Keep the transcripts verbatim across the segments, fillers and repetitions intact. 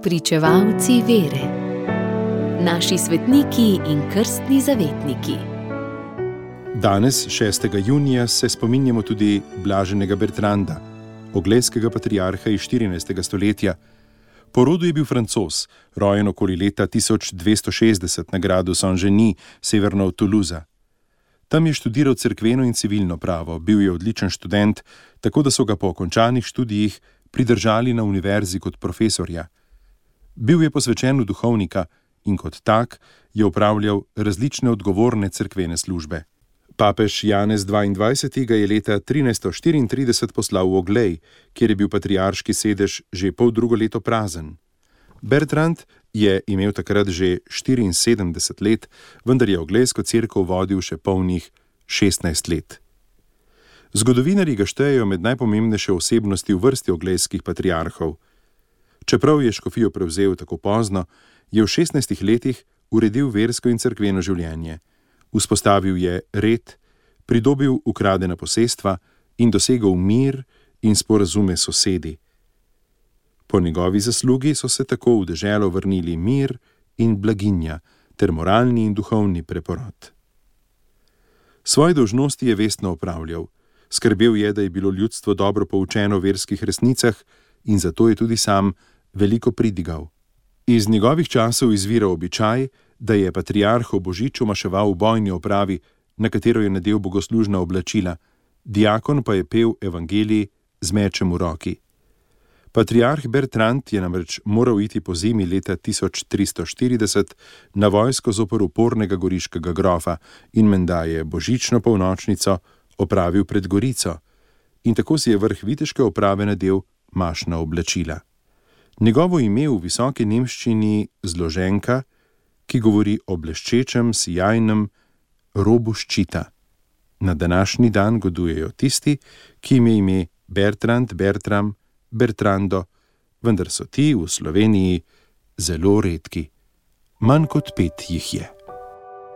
Pričevalci vere. Naši svetniki in krstni zavetniki. Danes, šestega junija, se spominjamo tudi blaženega Bertranda, oglejskega patriarha iz štirinajstega stoletja. Po rodu je bil Francoz, rojen okoli leta tisoč dvesto šestdeset na gradu Saint-Genis, severno od Toulousa. Tam je študiral cerkveno in civilno pravo, bil je odličen študent, tako da so ga po končanih študijih pridržali na univerzi kot profesorja. Bil je posvečen v duhovnika in kot tak je opravljal različne odgovorne cerkvene službe. Papež Janez dvaindvajseti ga je leta trinajststo štiriintrideset poslal v Oglej, kjer je bil patriarški sedež že pol drugo leto prazen. Bertrand je imel takrat že štiriinsedemdeset let, vendar je oglejsko cerkev vodil še polnih šestnajst let. Zgodovinarji ga štejejo med najpomembnejše osebnosti v vrsti oglejskih patriarhov. Čeprav je škofijo prevzel tako pozno, je v šestnajstih letih uredil versko in cerkveno življenje. Vzpostavil je red, pridobil ukradena posestva in dosegel mir in sporazume s sosedi. Po njegovi zaslugi so se tako v deželo vrnili mir in blaginja ter moralni in duhovni preporod. Svoje dolžnosti je vestno opravljal. Skrbel je, da je bilo ljudstvo dobro poučeno v verskih resnicah in zato je tudi sam veliko pridigal. Iz njegovih časov izvira običaj, da je patriarh ob božiču maševal v bojni opravi, na katero je nadel bogoslužna oblačila, diakon pa je pel evangelij z mečem v roki. Patriarh Bertrand je namreč moral iti po zimi leta tisoč tristo štirideset na vojsko zoper upornega goriškega grofa in menda je božično polnočnico opravil pred Gorico in tako si je vrh viteške oprave nadel mašna oblačila. Njegovo ime v visoki nemščini zloženka, ki govori o bleščečem, sijajnem robu ščita. Na današnji dan godujejo tisti, ki jim je ime Bertrand, Bertram, Bertrando, vendar so ti v Sloveniji zelo redki. Manj kot pet jih je.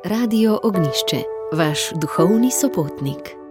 Radio Ognjišče, vaš duhovni sopotnik.